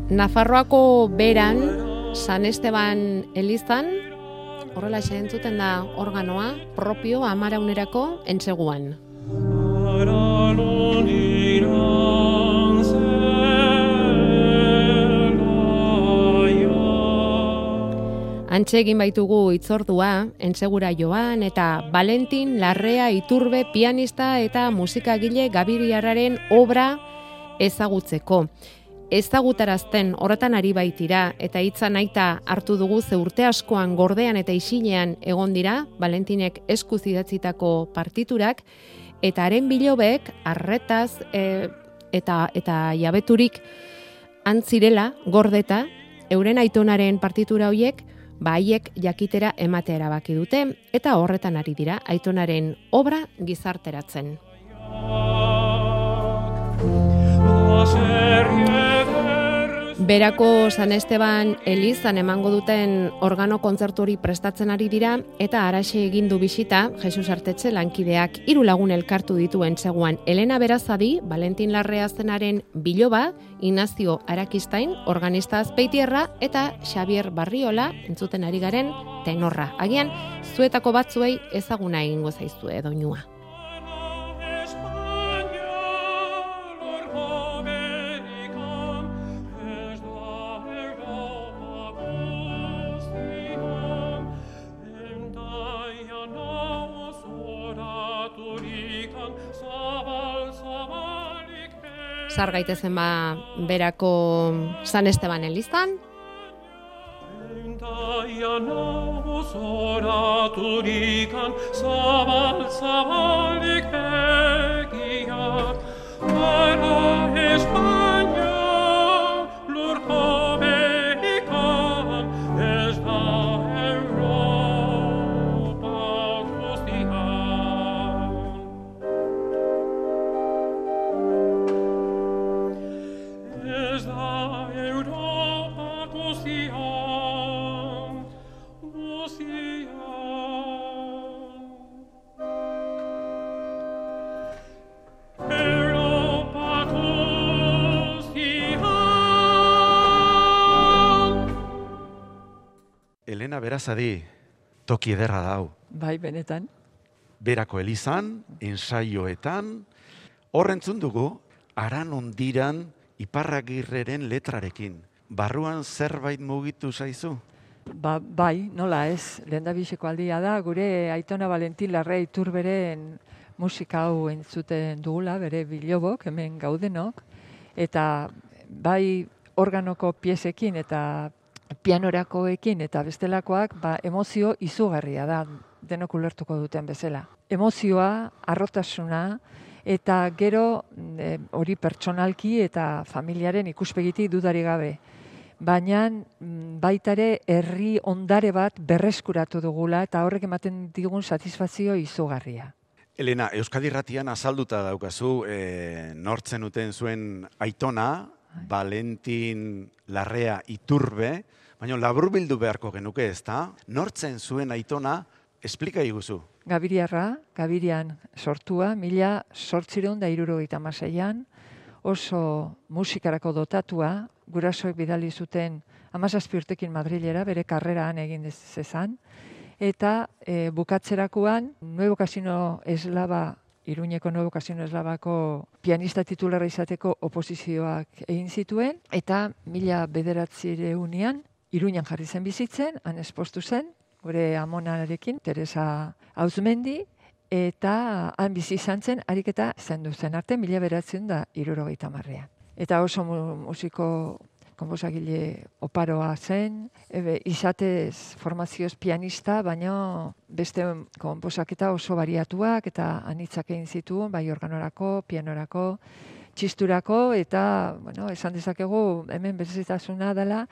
Nafarroako beran, San Esteban elizan, horrela entzuten da organoa, propio amaraunerako entseguan. Antxe egin baitugu itzordua, entsegura joan eta Valentin Larrea Iturbe pianista eta musikagile gabiriarraren obra ezagutzeko. Ezagutarazten horretan ari baitira eta hitza nahita hartu dugu ze urte askoan gordean eta isilean egon dira Valentinek eskuz idatzitako partiturak eta haren bilobek arretaz eta jabeturik antzirela gordeta euren aitonaren partitura hoiek haiek jakitera ematea erabaki dute eta horretan ari dira aitonaren obra gizarteratzen. Berako San Esteban elizan emango duten organo kontzertu hori prestatzen ari dira eta haraxe egin du bisita Jesus Artetxe lankideak 3 lagun elkartu dituen seguan Elena Berazadi, Valentin Larrea zenaren biloba, Ignacio Arakistain, organista Azpeitierra eta Xavier Barriola entzuten ari garen tenorra. Agian, zuetako batzuei ezaguna egingo zaizue doinua. Zar gaitezen berako San Esteban elizan. Elena Berazadi, toki ederra dau. Bai, benetan. Berako elizan, ensaioetan, horrentzun dugu, Aran Ondiran Iparragirreren letrarekin. Barruan zerbait mugitu zaizu? Bai, nola ez. Lehendabiziko aldia da, gure aitona Valentin Larrea Iturberen musika hau entzuten dugula, bere bilobok, hemen gaudenok, eta bai organoko piezekin eta pianorakoekin eta bestelakoak emozio izugarria da, denok ulertuko duten bezala. Emozioa, harrotasuna, eta gero hori pertsonalki eta familiaren ikuspegitik dudari gabe. Baina baitare herri ondare bat berreskuratu dugula eta horrek ematen digun satisfazio izugarria. Elena, Euskadi Irratian azalduta daukazu nortzen uten zuen aitona, Valentin Larrea Iturbe, baina laburbildu beharko genuke ezta? Nortzen zuen aitona, esplika iguzu. Gabirian sortua, 1876an, oso musikarako dotatua, gurasoek bidali zuten 17 urtekin Madrilera, bere karreraan egin zezan, eta bukatzerakoan Nuevo Casino Eslava, Iruñeko Nuevo Casino Eslavako pianista titularra izateko oposizioak egin zituen, eta 1900ean Iruñan jarri zen bizitzen, han espostu zen, gure amonarekin, Teresa Auzmendi, eta han bizi izan zen, ariketa zendu zen arte, 1970ean. Eta oso musiko konposagile oparoa zen, izatez formazioz pianista, baina beste konposaketa oso bariatuak eta anitzak egin zituen, bai organorako, pianorako, txisturako, eta esan dezakegu hemen berezitasuna dela,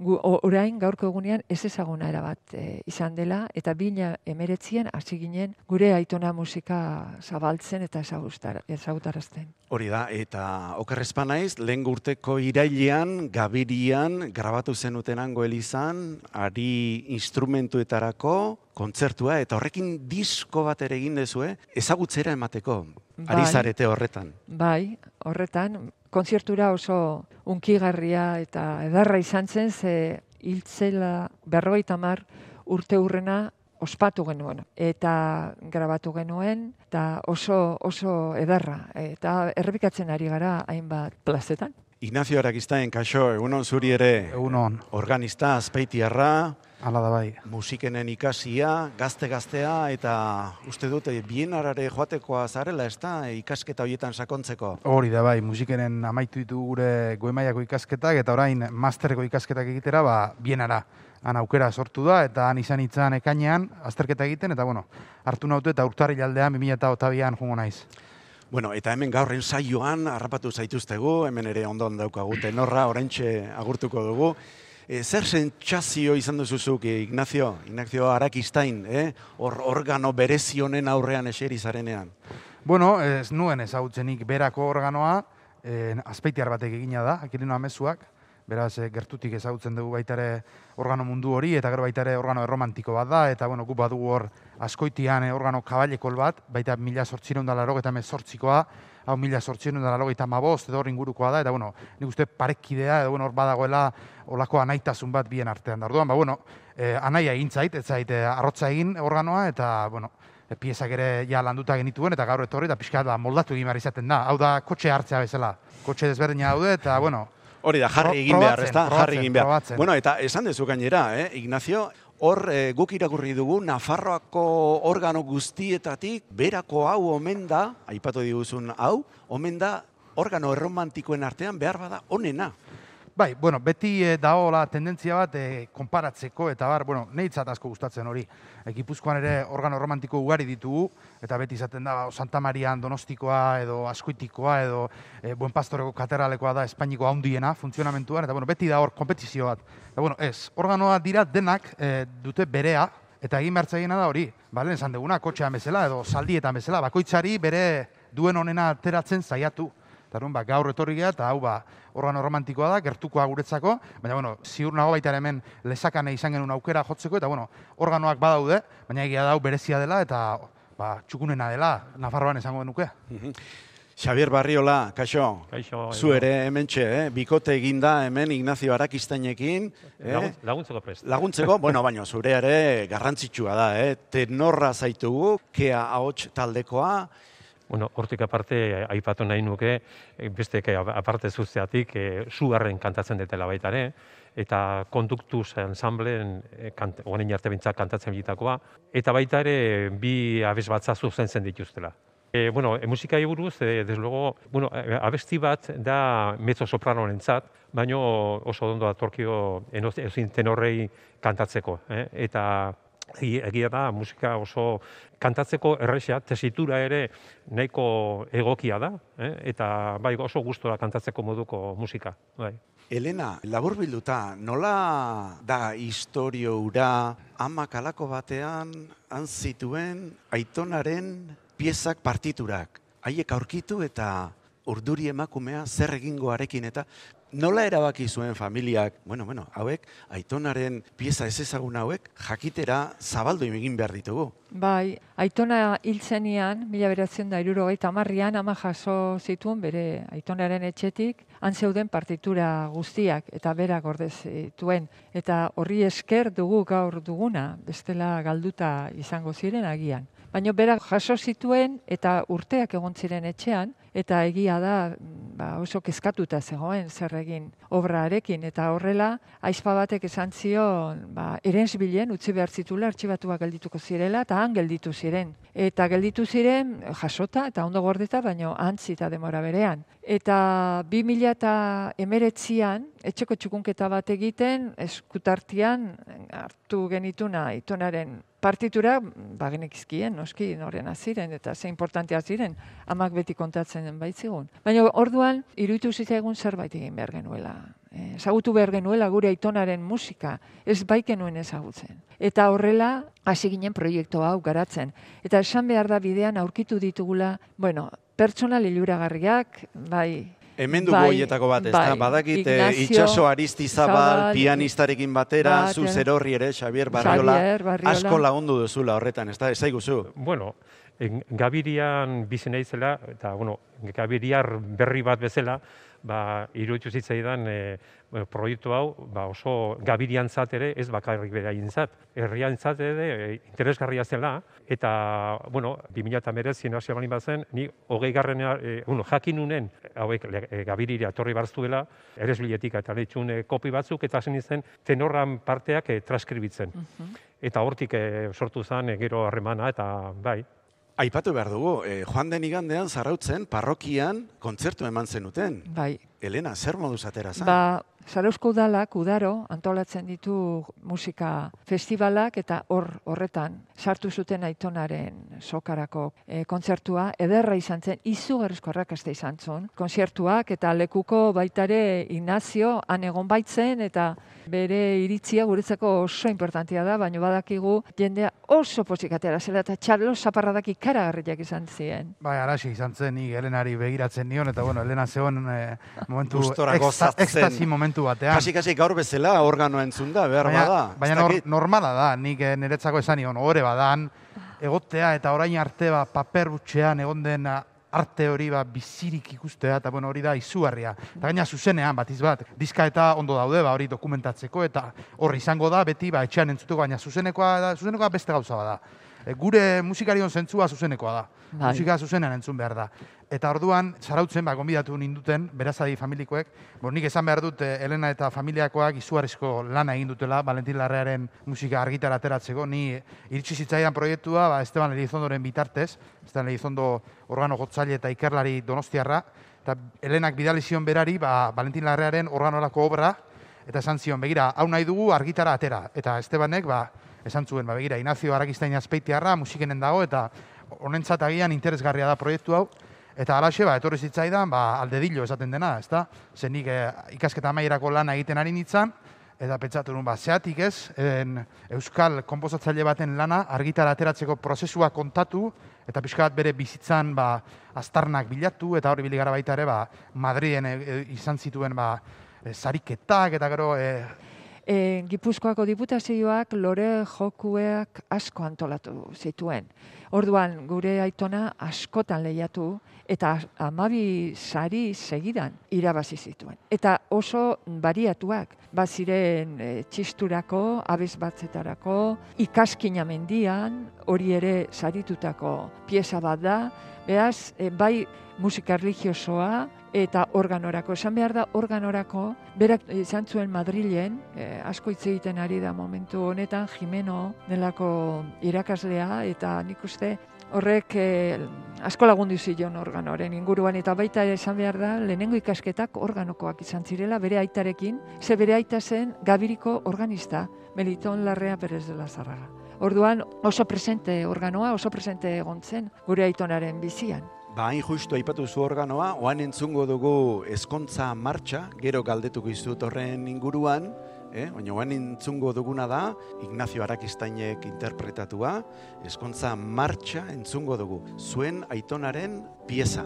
orain gaurko egunean ez ezaguna erabat izan dela, eta 2019an hasi ginen gure aitona musika zabaltzen eta ezagutarazten. Hori da, eta okerrezpa naiz, lehen urteko irailean, Gabirian, grabatu zenutenango elizan, ari instrumentuetarako kontzertua, eta horrekin disko bat ere egin dezue, ezagutzera emateko, ari zarete horretan. Bai, horretan, kontzertura oso unkigarria eta edarra izan zen, ze hiltzela 50 urte hurrena ospatu genuen eta grabatu genuen, eta oso edarra, eta errepikatzen ari gara hainbat plazetan. Ignacio Arakistain, kaixo, egunon zuri ere. Egunon. Organista, azpeitiarra. Hala da bai. Musikenen ikasia, gazte-gaztea, eta uste dut, Bienarare joatekoa zarela, ez da, ikasketa horietan sakontzeko? Hori da bai, musikenen amaitu ditu gure goi-mailako ikasketak, eta orain masterreko ikasketak egitera, Bienara. Han aukera sortu da, eta han izan itzan ekainean, azterketa egiten, eta hartu nautu eta urtarrilaldean 2022an jungo naiz. Bueno, eta hemen gaurren saioan harrapatu zaituztegu, hemen ere ondon daukagu tenorra, oraintxe agurtuko dugu. Zer sentsazio izan duzuzuk, Ignacio Arakistain, organo berezi honen aurrean eseri zarenean? Bueno, ez nuen ezagutzenik berako organoa, azpeitiar batek egina da, Akirino Amezuak, beraz gertutik ezagutzen dugu baitare organo mundu hori, eta gero baitare organo erromantiko bat da, eta guk badugu hor Azkoitian organo kabailekol bat, baita 1898koa, hau 1895 edo hor ingurukoa da, eta nik uste parekidea, edo hor badagoela olako anaitasun bat bien artean da. Orduan, anaia egin zait, ez zait arrotza egin organoa, eta piezak ere ja landuta genituen, eta gaur etorri, eta pixka moldatu egin behar izaten da. Hau da, kotxe hartzea bezala. Kotxe desberdina daude, eta hori da, jarri egin behar, ez da? Jarri egin behar. Probatzen. Bueno, eta esan dezu gainera, Ignacio, hor guk irakurri dugu, Nafarroako organo guztietatik, berako hau omen da, aipatu diguzun hau, omen da organo erromantikoen artean behar bada onena. Bai, beti daola tendentzia bat konparatzeko, eta nehitzat asko gustatzen hori. Gipuzkoan ere organo romantiko ugari ditugu, eta beti izaten da Santa Marian Donostikoa, edo Azkoitikoa, edo Buen Pastoreko katedralekoa da Espainiko handiena funtzionamentuan, eta beti da hor konpetizio bat. Eta organoa dira denak dute berea, eta egin behartzaiena da hori. Balen esan duguna, kotxean bezala, edo zaldietan bezala, bakoitzari bere duen onena ateratzen saiatu. Eta gaur etorri geha, eta hau organo romantikoa da, gertukoa guretzako, baina ziur nago baita hemen lezakane izan genuen aukera jotzeko, eta organoak badaude, baina egia da hau berezia dela, eta txukunena dela, Nafarroan esango genuke. Xabier Barriola, kaixo, zu ere hementxe, bikote eginda hemen Ignacio Arakistainekin. Laguntzeko prest. Laguntzeko, baina zure ere garrantzitsua da, tenorra zaitugu, Kea ahots taldekoa. Hortik aparte, aipatu nahi nuke, beste aparte zuzteatik, sugarren kantatzen detela baitare, eta konduktuz ensambleen, orain arte bintzak kantatzen bitakoa, eta baita ere bi abes batza zuzentzen dituztela. Musikai buruz, desde luego, abesti bat da mezzo-sopranorentzat, baina oso ondo datorkio ezin tenorrei kantatzeko, eta egia da, musika oso kantatzeko errexea, tesitura ere nahiko egokia da, eta oso gustora kantatzeko moduko musika. Elena, laburbilduta, nola da historio hura amak alako batean han zituen Aitonaren piezak partiturak? Haiek aurkitu eta urduri emakumea zer egingoarekin eta nola erabaki zuen familiak, hauek, Aitonaren pieza ez ezagun hauek, jakitera zabaldu egin behar ditugu. Bai, Aitona hiltzenian, 1970an, ama jaso zituen bere Aitonaren etxetik, han zeuden partitura guztiak, eta berak ordez zituen. Eta horri esker dugu gaur duguna, bestela galduta izango ziren agian. Baina berak jaso zituen eta urteak egon ziren etxean, eta egia da oso kezkatuta zegoen zer egin obrarekin, eta horrela aizpa batek esan zion erensbilen utzi behar zitula artxibatuak geldituko zirela, eta han gelditu ziren. Eta gelditu ziren jasota eta ondo gordeta, baina antzita demora berean. Eta 2019an etxeko txukunketa bat egiten, eskutartian hartu genituna Aitonaren partitura, genekizkien, noski, norena ziren, eta ze importantea ziren, amak beti kontatzen baitzigun. Baina orduan, iruditu zitzaigun zerbait egin behar genuela. Ezagutu behar genuela gure Aitonaren musika, ez baikenuen ezagutzen. Eta horrela, hasi ginen proiektu hau garatzen. Eta esan behar da bidean aurkitu ditugula, pertsona liluragarriak, Hemen dugu horietako bat, ez da? Badakit Itxaso Aristizabal pianistarekin batera, zu zerorri ere, Xabier Barriola, asko lagundu duzula horretan, ez da? Ez aiguzu? Gabirian bizi naizela, eta Gabiriar berri bat bezala, iruditu zitzaidan proiektu hau oso gabiriantzat ere, ez bakarrik beraientzat, herriantzat ere interesgarria zela, eta, 2019 hasi balin bazen, ni 20. Jakin nunen, hauek gabirira etorri barztuela, eresbiletik eta leitxun kopi batzuk, eta zen izen tenorran parteak transkribitzen. Eta hortik sortu zen gero harremana, eta bai. Aipatu behar dugu, joan den igandean Zarautzen parrokian kontzertu eman zenuten. Bai. Elena, zer moduz atera zen? Zarauzko udalak, udaro, antolatzen ditu musika festivalak eta horretan sartu zuten Aitonaren sokarako kontzertua. Ederra izan zen, izugarrizko arrakasta izan zen. Kontzertuak eta lekuko baitare Ignacio han egon baitzen eta bere iritzia guretzako oso importantia da, baina badakigu jendea oso pozik atera zela eta txarlo zaparradak ikaragarriak izan ziren. Bai, arazi izan zen, ni Elenari begiratzen nion, eta Elena zegoen momentu ekstasi momentu batean. Kasi gaur bezala organoa entzunda, behar bada. Baina normala da, nik niretzako esan nion, ohore badan, egotea eta orain arte paper butxean egon den arte hori bizirik ikustea, eta hori da izugarria. Eta gaina zuzenean, batiz bat, diska eta ondo daude, hori dokumentatzeko, eta horri izango da, beti etxean entzuteko, baina zuzenekoa beste gauza bada. Gure musikarion zentzua zuzenekoa da. Musika zuzenean entzun behar da. Eta orduan, Zarautzen, gonbidatu ninduten, Berazadi familikoek, nik esan behar dut, Elena eta familiakoak izugarrizko lana egin dutela, Valentin Larrearen musika argitara ateratzeko, ni iritsi zitzaidan proiektua, Esteban Elizondoren bitartez, Esteban Elizondo organo jotzaile eta ikerlari donostiarra, eta Elenak bidali zion berari, Valentin Larrearen organorako obra, eta esan zion, begira, hau nahi dugu argitara atera, eta Estebanek, esan zuen, begira, Ignacio Arakistain Azpeitiarra musikenen dago, eta honentzat agian interesgarria da proiektu hau, eta alaxe, etorri zitzaidan, aldedillo esaten dena, ezta? Zenik ikasketa amaierako lana egiten ari nintzen, eta pentsatu nuen, zeatik ez, euskal konposatzaile baten lana argitara ateratzeko prozesua kontatu, eta pixka bat bere bizitzan aztarnak bilatu, eta hori biligara baita ere, Madriden izan zituen sariketak, eta gero... Gipuzkoako diputazioak lore jokuak asko antolatu zituen. Orduan, gure Aitona askotan lehiatu eta 12 sari segidan irabazi zituen. Eta oso bariatuak, baziren txisturako, abesbatzetarako, ikaskina mendian, hori ere saritutako pieza bat da, beraz, bai musika religiosoa, eta organorako. Esan behar da organorako, berak izan zuen Madrilen, asko hitz egiten ari da momentu honetan, Jimeno delako irakaslea, eta nik uste horrek asko lagundu zion organoren inguruan, eta baita esan behar da, lehenengo ikasketak organokoak izan zirela, bere aitarekin, ze bere aita zen Gabiriko organista, Meliton Larrea Perez de la Zarraga. Orduan oso presente organoa, oso presente egon zen gure Aitonaren bizian. Hain justu aipatu zu organoa, oan entzungo dugu Ezkontza Martxa, gero galdetuko izut horren inguruan, baina oan entzungo duguna da, Ignacio Arakistainek interpretatua, Ezkontza Martxa entzungo dugu, zuen Aitonaren pieza.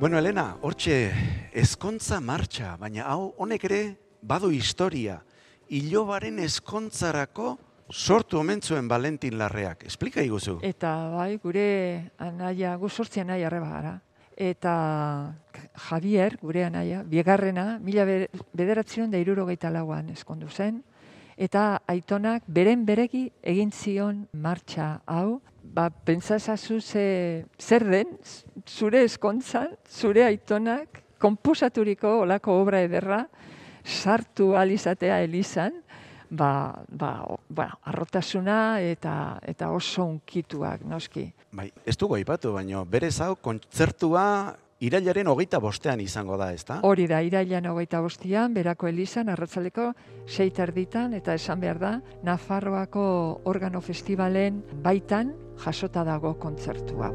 Bueno, Elena, hortxe Ezkontza Martxa, baina hau honek ere badu historia. Ilobaren ezkontzarako sortu omen zuen Valentin Larreak. Esplika iguzu. Eta bai, gure anaia, gu sortzi anaia arreba gara. Eta Javier, gure anaia, bigarrena, 1964an eskondu zen. Eta Aitonak beren beregi egin zion martxa hau. Pentsazazu zer den, zure eskontzan, zure Aitonak, konposaturiko olako obra ederra, sartu alizatea Elizan, arrotasuna eta oso unkituak, noski. Bai, ez dugu aipatu, baina berez hau kontzertua irailaren 25ean izango da, ezta? Hori da, irailaren 25ean, Berako elizan, arratsaldeko 6:30, eta esan behar da, Nafarroako organo festivalen baitan jasota dago kontzertu hau.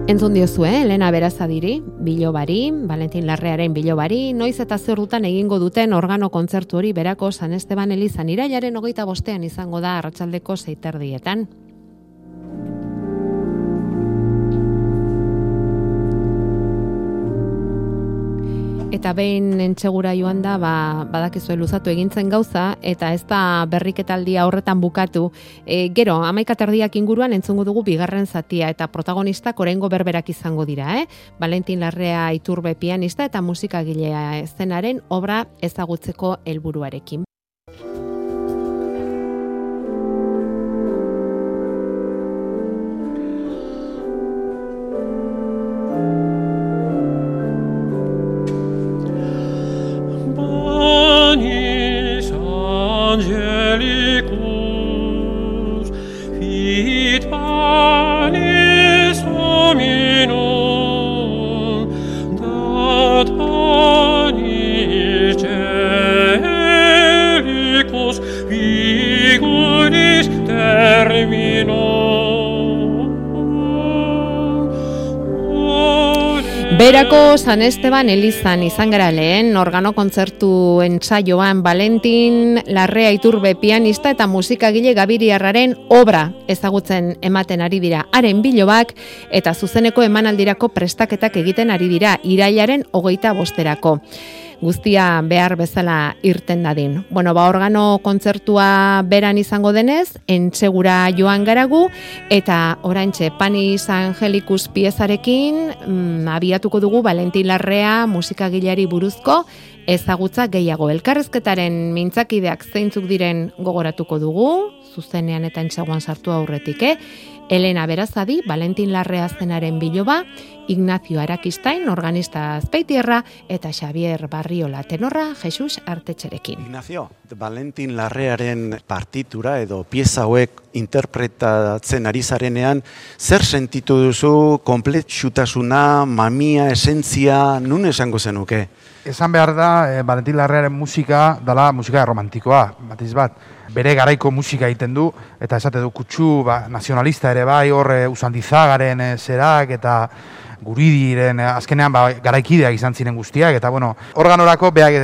Entzun diozue, Elena Berazadiri, bilobari, Valentin Larrearen bilobari, noiz eta zer dutan egingo duten organo kontzertu hori Berako San Esteban elizan irailaren 25ean izango da arratsaldeko 6:30. Eta behin Entsegura joan da, badakizue luzatu egintzen gauza, eta ez da berriketaldia horretan bukatu. Gero, 11:30 inguruan entzungo dugu bigarren zatia, eta protagonistak oraingo berberak izango dira. Valentin Larrea Iturbe pianista eta musikagilea eszenaren obra ezagutzeko helburuarekin. Berako San Esteban elizan izan gara lehen organo kontzertu entsaioan Valentin Larrea Iturbe pianista eta musikagile gabiriarraren obra ezagutzen ematen ari dira. Haren bilobak eta zuzeneko emanaldirako prestaketak egiten ari dira irailaren 25erako. Guztia behar bezala irten dadin. Organo kontzertua beran izango denez, Entsegura joan garagu, eta oraintxe Panis Angelicus piezarekin abiatuko dugu Valentin Larrea musikagileari buruzko ezagutza gehiago. Elkarrezketaren mintzakideak zeintzuk diren gogoratuko dugu, zuzenean eta Entseguan sartu aurretik, Elena Berazadi, Valentin Larrea zenaren biloba, Ignacio Arakistain, organista azpeitierra, eta Xavier Barriola tenorra, Jesus Artetxerekin. Ignacio, Valentin Larrearen partitura edo pieza hauek interpretatzen ari zarenean, zer sentitu duzu, konpletxutasuna, mamia, esentzia, nun esango zenuke? Esan behar da, Valentin Larrearen musika dela musika romantikoa, batiz bat. Bere garaiko musika egiten du, eta esate du kutsu nazionalista ere bai, hor Usandizagaren zerak, eta Guridiren azkenean garaikideak izan ziren guztiak, eta organorako beak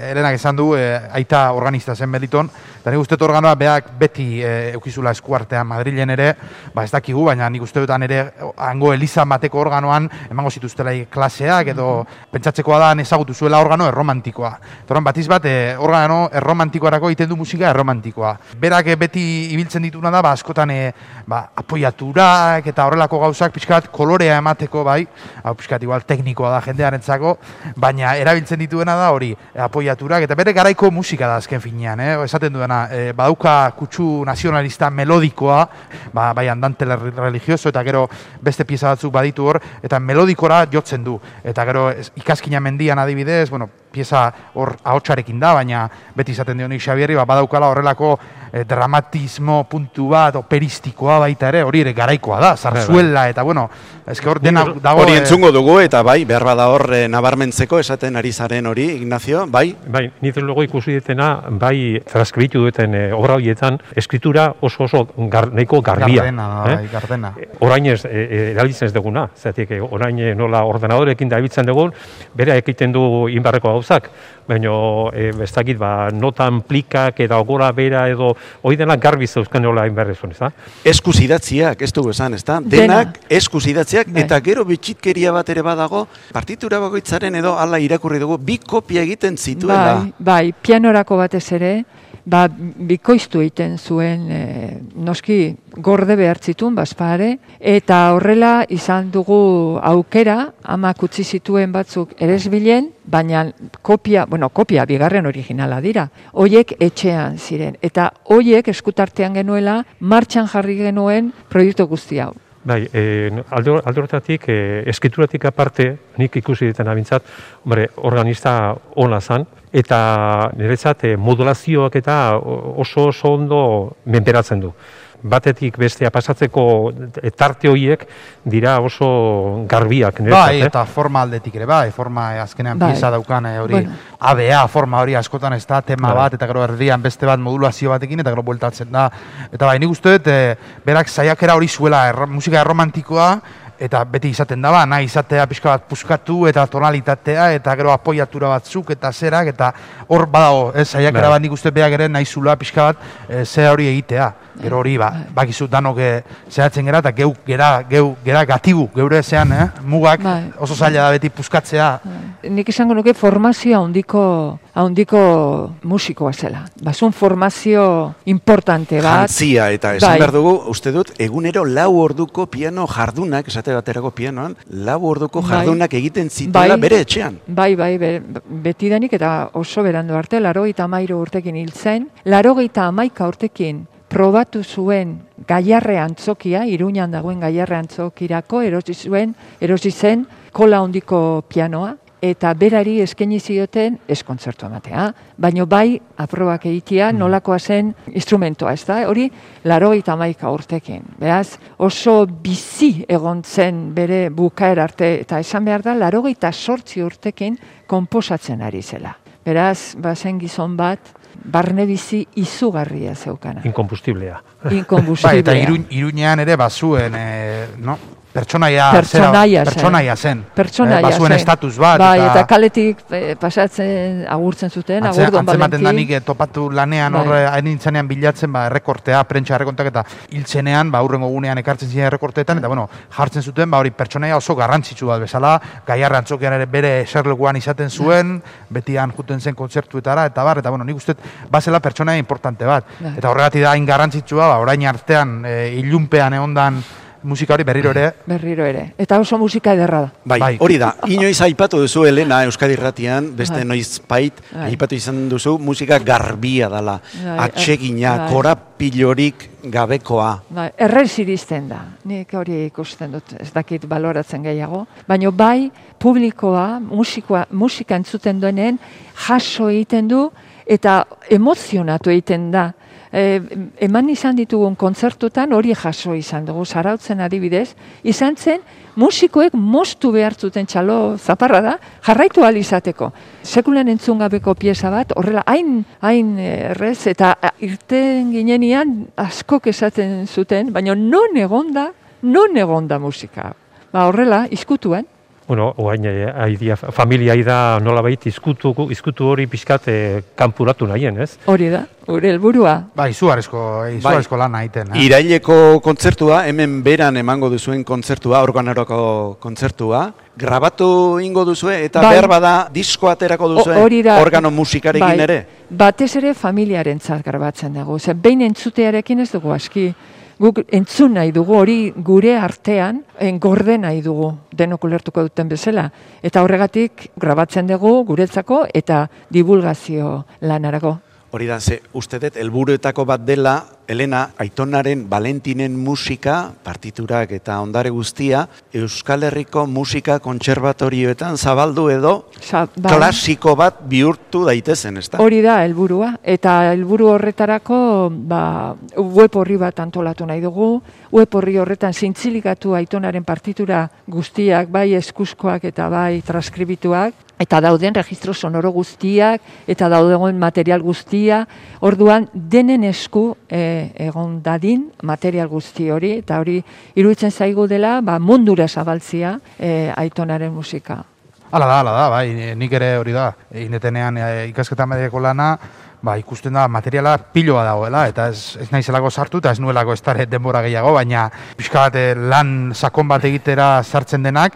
Helenak esan du aita organista zen Beliton, eta nik uste organoa beak beti eukizula eskuartean Madrilen ere, ez dakigu, baina nik uste dutan ere hango elizan bateko organoan emango zituztela klaseak, edo pentsatzekoa da ezagutu zuela organo erromantikoa. Toran batiz bat, organo erromantikoarako egiten du musika erromantikoa. Berak beti ibiltzen dituna da, askotan apoiaturak eta horrelako gauzak pixkat kolorea emateko bai, pixkat igual teknikoa da jendearentzako, baina erabiltzen dituena da hori apoiaturak, eta bere garaiko musika da azken finean, esaten duena, badauka kutsu nazionalista melodikoa, bai andante religioso, eta gero beste pieza batzuk baditu hor, eta melodikora jotzen du, eta gero Ikaskina mendian adibidez, pieza hor ahotsarekin da, baina beti izaten dionik Xabierri, badaukala horrelako dramatismo puntu bat, operistikoa baita ere, hori ere garaikoa da, zarzuela, eta eske hor dena dago... Hori entzungo dugu, eta bai, behar bada hor nabarmentzeko esaten ari zaren hori, Ignacio, bai? Bai, nire logo ikusi dutena, bai, transkribitu duten obra horietan, eskritura oso nahiko garbia. Gardena. Orain erabiltzen ez duguna, zatik, orain nola ordenadorekin da erabiltzen dugun, bere egiten du inbarreko gauzak, baina ez dakit, notan plikak eta gora bera edo hori denak garbi zeuzkan nola inbarrezun, ez da? Eskuz idatziak, ez dugu esan, ez da? Denak eskuz idatziak, eta gero bitxitkeria bat ere badago, partitura bakoitzaren edo ala irakurri dugu, bi kopia egiten zituela. Bai, pianorako batez ere, bikoiztu egiten zuen, noski gorde behartzitun, bazpare, eta horrela izan dugu aukera, amak utzi zituen batzuk eresbilen, baina kopia bigarren originala dira, hoiek etxean ziren, eta hoiek eskutartean genuela, martxan jarri genuen proiektu guzti hau. Bai, alde horretatik, eskrituratik aparte, nik ikusi ditan abintzat, organista ona zan, eta niretzat modulazioak eta oso ondo menperatzen du. Batetik bestea pasatzeko tarte horiek dira oso garbiak niretzat. Bai, eta forma aldetik ere, bai, forma azkenean pieza daukan hori, ABA forma hori askotan ez da, tema bat, eta gero erdian beste bat modulazio batekin, eta gero bueltatzen da. Eta bai, nik uste dut, berak saiakera hori zuela, musika erromantikoa, eta beti izaten daba, nahi izatea pixka bat puskatu, eta tonalitatea, eta gero apoiatura batzuk, eta zerak, eta hor badago, saiakera bat nik uste beak ere nahi zula pixka bat, ze hori egitea. Gero hori, bakizu danok zehatzen gera, eta gera gatibu, geure zean, mugak oso zaila da beti puskatzea. Nik izango nuke formazio handiko musikoa zela. Basun formazio importante bat. Jantzia, eta esan behar dugu, uste dut, egunero 4 orduko piano jardunak, esate baterako pianoan, 4 orduko jardunak egiten zituela bere etxean. Bai, betidanik eta oso berandu arte, 83 urtekin hil zen, 91 urtekin probatu zuen Gaiarre antzokia, Iruñan dagoen Gaiarre antzokirako erosi zen kola handiko pianoa, eta berari eskaini zioten ez kontzertu ematea, baino bai aprobak egitea nolakoa zen instrumentoa, ez da? Hori 91 urtekin. Beraz, oso bizi egon zen bere bukaer arte, eta esan behar da 88 urtekin konposatzen ari zela. Beraz, zen gizon bat, barne bizi izugarria zeukana. Inkombustiblea. Bai, eta Iruñean ere bazuen, pertsonaia zen. Bazuen estatus bat. Bai, eta kaletik pasatzen agurtzen zuten, agurdon Valentin. Antzematen danik topatu lanean horre hainintzanean bilatzen errekortea, prentsa errekontak eta hiltzenean, aurrengo gunean ekartzen ziren errekorteetan, eta jartzen zuten, hori pertsonaia oso garrantzitsu bat bezala, Gaiarre antzokian ere bere eserlekuan izaten zuen, betian juten zen kontzertuetara, eta nik uste bazela pertsonaia importante bat. Eta horregatik da hain garrantzitsua, orain artean ilunpean egondan musika hori berriro ere. Eta oso musika ederra da. Bai, hori da. Inoiz aipatu duzu, Elena, Euskadi Irratian, beste noizbait aipatu izan duzu, musika garbia dela, atsegina, korapilorik gabekoa. Errez iristen da. Nik hori ikusten dut, ez dakit baloratzen gehiago. Baina bai, publikoa, musika entzuten duenean, jaso egiten du, eta emozionatu egiten da. Eman izan ditugun kontzertutan hori jaso izan dugu, Zarautzen adibidez, izan zen musikoek moztu behartzuten txalo zaparra da, jarraitu ahal izateko. Sekulan entzungabeko pieza bat, horrela hain errez, eta irten ginenean askok esaten zuten, baina non egonda musika. Horrela, izkutuan. Oain, familia da nolabait izkutu hori pixkat kanpuratu nahien, ez? Hori da, gure helburua. Izugarrizko lana egiten. Iraileko kontzertua, hemen beran emango duzuen kontzertua, organoroko kontzertua, grabatu ingo duzue, eta behar bada disko aterako duzuen organo musikarekin ere? Batez ere familiarentzat grabatzen dugu. Behin entzutearekin ez dugu aski. Guk entzun nahi dugu, hori gure artean gorde nahi dugu, denok ulertuko duten bezala. Eta horregatik grabatzen dugu guretzako eta divulgazio lanarako. Hori da, uste dut, helburuetako bat dela, Elena, Aitonaren Valentinen musika, partiturak eta ondare guztia, Euskal Herriko musika kontserbatorioetan zabaldu edo klasiko bat bihurtu daitezen, ez da? Hori da, helburua. Eta helburu horretarako web horri bat antolatu nahi dugu. Web horri horretan zintzilikatu Aitonaren partitura guztiak, bai eskuzkoak eta bai transkribituak. Eta dauden registro sonoro guztiak, eta dauden material guztia. Orduan, denen esku egon dadin material guzti hori, eta hori iruditzen zaigu dela mundura zabaltzia Aitonaren musika. Hala da, bai, nik ere hori da. Inetenean ikasketa mediako lana, ikusten da materiala piloa dagoela, eta ez naizelako sartu, eta ez nuelako ez dara denbora gehiago, baina pixka bat lan sakon bat egitera sartzen denak,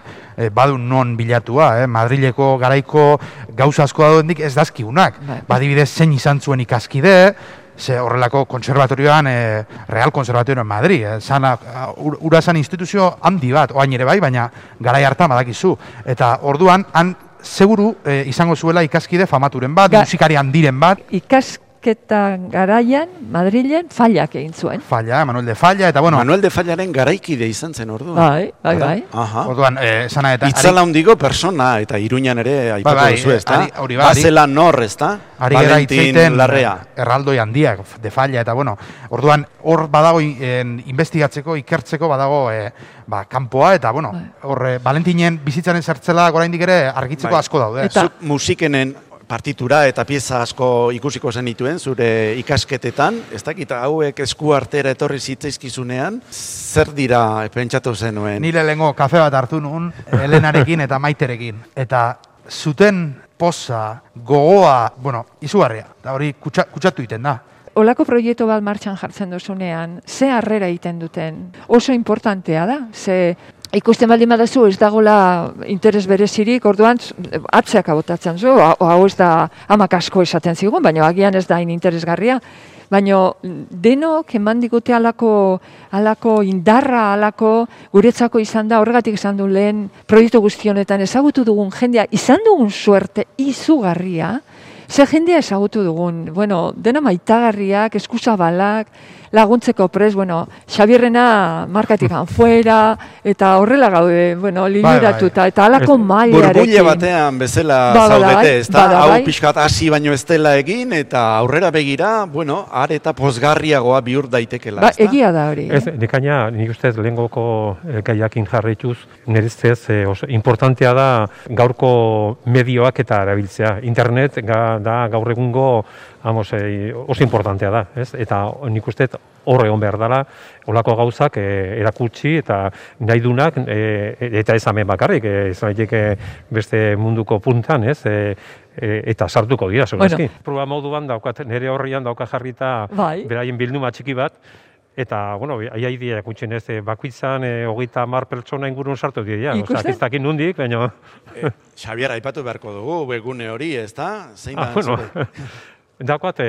badun non bilatua, Madrileko garaiko gauza asko daudendik ez dazkiunak. Badibidez zein izan zuen ikaskide, ze horrelako konservatorioan, Real Konservatorioan Madrid, ura zan instituzio handi bat, oain ere bai, baina garai hartan badakizu. Eta orduan, han seguru izango zuela ikaskide famaturen bat, musikari handiren bat. ikerketan garaian, Madrilen, Fallak egin zuen. Falla, Manuel de Falla, eta bueno... Manuel de Fallaren garaikide izan zen orduan. Bai. Aha. Orduan, esana eta... Itzala handiko persona, eta Iruñan ere aipatu duzu, ezta? Bazela nor, ezta? Ari gara itzeiten Larrea. Erraldoi handiak, de Falla, eta bueno, orduan, hor badago investigatzeko, ikertzeko badago kanpoa, eta bueno, hor Valentinen bizitzaren zertzela oraindik ere argitzeko asko daude. Zuk musikenen partitura eta pieza asko ikusiko zenituen zure ikasketetan, ez dakit hauek esku artera etorri zitzaizkizunean, zer dira pentsatu zenuen? Nire lehengo kafe bat hartu nun, Helenarekin eta Maiterekin, eta zuten poza, gogoa, bueno, izugarria, eta hori kutsatu iten da. Olako proiektu bat martxan jartzen duzunean, ze harrera egiten duten, oso importantea da, ze ikusten baldin badazu ez dagoela interes berezirik, orduan atzeak abotatzen zu, hau ez da amak asko esaten zigun, baina agian ez da hain interesgarria, baina denok eman digute alako indarra, alako guretzako izan da, horregatik izan du lehen proiektu guztionetan ezagutu dugun jendea, izan dugun suerte izugarria, ze jendea ezagutu dugun, bueno, dena maitagarriak, eskuzabalak, laguntzeko prest, bueno, Xabierrena markatik fuera, eta horrela gaude, bueno, lideratuta, eta alako mailarekin. Burbuile batean bezala zaudete, ez da? Hau pixkat hasi baino ez dela egin, eta aurrera begira, bueno, are eta pozgarriagoa bihur daitekela, ez da? Egia da hori. Ez, nikaina, nik ustez lehengoko gaiakin jarraituz, niretzez importantea da gaurko medioak eta erabiltzea. Internet da gaur egungo oso importantea da, ez? Eta nik uste hor egon behar dela, olako gauzak erakutsi eta nahi dunak, eta ez hemen bakarrik, ez beste munduko puntan, ez? Eta sartuko dira, segurazki. Proba moduan daukat, nire horrian dauka jarrita beraien bilduma txiki bat, eta, bueno, aiaidia kutxen ez, bakuitzan 30 pertsona ingurun sartu dira. Akistakin nundik, baina... Xabier, aipatu beharko dugu, webgune hori, ez da? Zein da? Dakoat,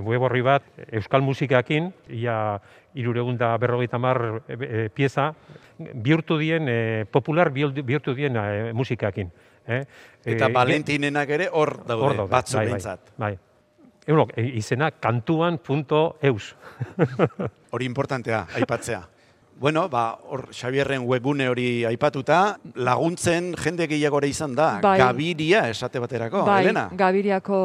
web horri bat, euskal musikakin, ia 350 pieza, bihurtu dien, popular bihurtu dien musikakin. Eta Valentinenak ere hor daude, batzu behintzat. Bai. Izena kantuan.eus. Hori importantea, aipatzea. Bueno, hor Xabierren webgune hori aipatuta, laguntzen jende gehiagora izan da, Gabiria esate baterako, Helena? Bai, Gabiriako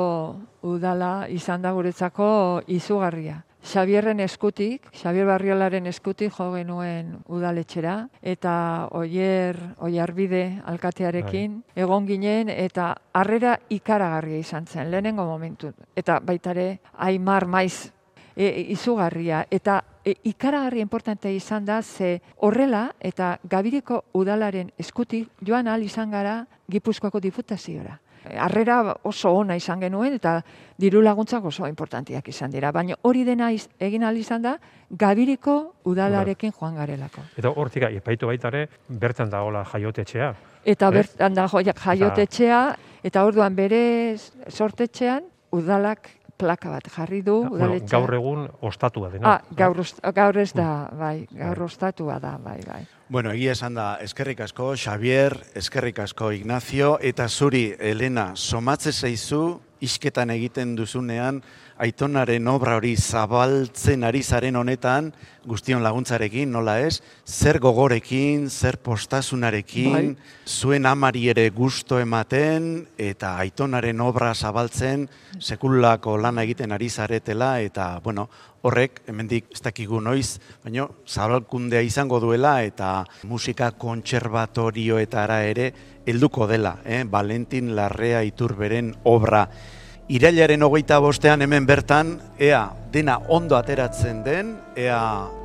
udala izan da guretzako izugarria. Xabierren eskutik, Xabier Barriolaren eskutik jo genuen udaletxera, eta Oiarbide alkatearekin egon ginen, eta harrera ikaragarria izan zen, lehenengo momentu. Eta baitare, Aimar Maiz izugarria, eta ikaragarri importante izan da, ze horrela eta Gabiriko udalaren eskutik joan ahal izan gara Gipuzkoako diputaziora. Harrera oso ona izan genuen eta diru laguntzak oso importantiak izan dira, baina hori dena egin ahal izan da Gabiriko udalarekin joan garelako. Eta hortik epaitu baitare, bertan dagoela jaiotetxea. Eta bertan da jaiotetxea, eta orduan bere sortetxean udalak plaka bat jarri du udaletxea. Gaur egun ostatua dena. Gaur ez da, bai, gaur ostatua da, bai. Bueno, egia esan da, eskerrik asko, Xabier, eskerrik asko, Ignacio, eta zuri, Helena, somatze zaizu, isketan egiten duzunean, Aitonaren obra hori zabaltzen ari zaren honetan, guztion laguntzarekin, nola ez, zer gogorekin, zer postasunarekin, zuen amari ere gusto ematen, eta Aitonaren obra zabaltzen, sekulako lana egiten ari zaretela, eta, bueno, horrek, hemendik ez dakigu noiz, baina zabalkundea izango duela, eta musika kontserbatorioetara ere helduko dela, Valentin Larrea Iturberen obra. Irailaren 25 hemen bertan, ea dena ondo ateratzen den, ea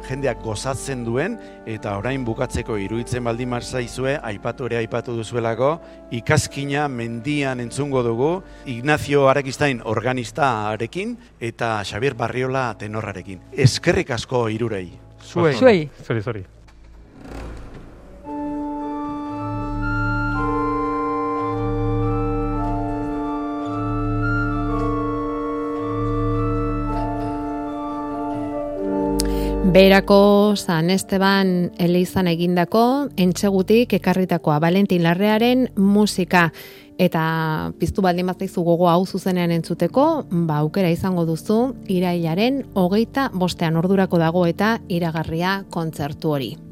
jendeak gozatzen duen, eta orain bukatzeko iruditzen baldin zaizue, aipatu duzuelako, ikaskina mendian entzungo dugu, Ignacio Arakistain organistarekin, eta Xabier Barriola tenorrarekin. Eskerrik asko hirurei. Zuei. Zori. Beherako San Esteban elizan egindako, Entsegutik ekarritakoa Valentin Larrearen musika. Eta piztu baldin bazaizu gogo hau zuzenean entzuteko, aukera izango duzu irailaren 25 ordurako dago eta iragarria kontzertu hori.